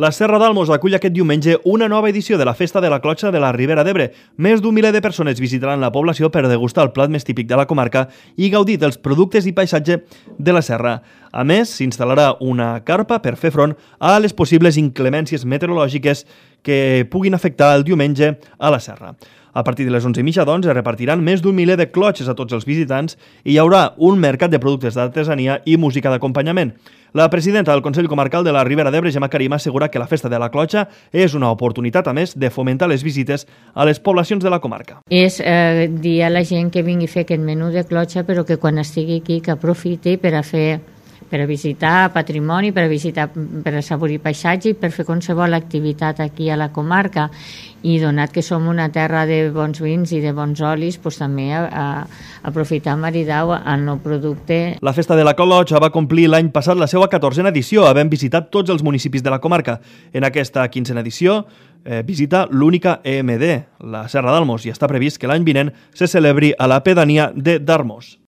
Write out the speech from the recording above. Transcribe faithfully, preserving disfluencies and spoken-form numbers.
La Serra d'Almos acull aquest diumenge una nova edició de la Festa de la Clotxa de la Ribera d'Ebre. Més d'un miler de persones visitaran la població per degustar el plat més típic de la comarca i gaudir dels productes i paisatge de la serra. A més, s'instal·larà una carpa per fer front a les possibles inclemències meteorològiques que puguin afectar el diumenge a la serra. A partir de les onze i mitja, doncs, es repartiran més d'un miler de clotxes a tots els visitants i hi haurà un mercat de productes d'artesania i música d'acompanyament. La presidenta del Consell Comarcal de la Ribera d'Ebre, Gemma Karim, assegura que la Festa de la Clotxa és una oportunitat, a més, de fomentar les visites a les poblacions de la comarca. És eh, dir a la gent que vingui a fer aquest menú de clotxa, però que quan estigui aquí que aprofiti per a fer per a visitar patrimoni, per a visitar, per a assaborir paisatge i per fer qualsevol activitat aquí a la comarca. I donat que som una terra de bons vins i de bons olis, doncs també a, a aprofitar maridau el nou producte. La Festa de la Clotxa va complir l'any passat la seva catorzena edició, havent visitat tots els municipis de la comarca. En aquesta quinzena edició eh, visita l'única E M D, la Serra d'Almos, i està previst que l'any vinent se celebri a la pedania de Darmos.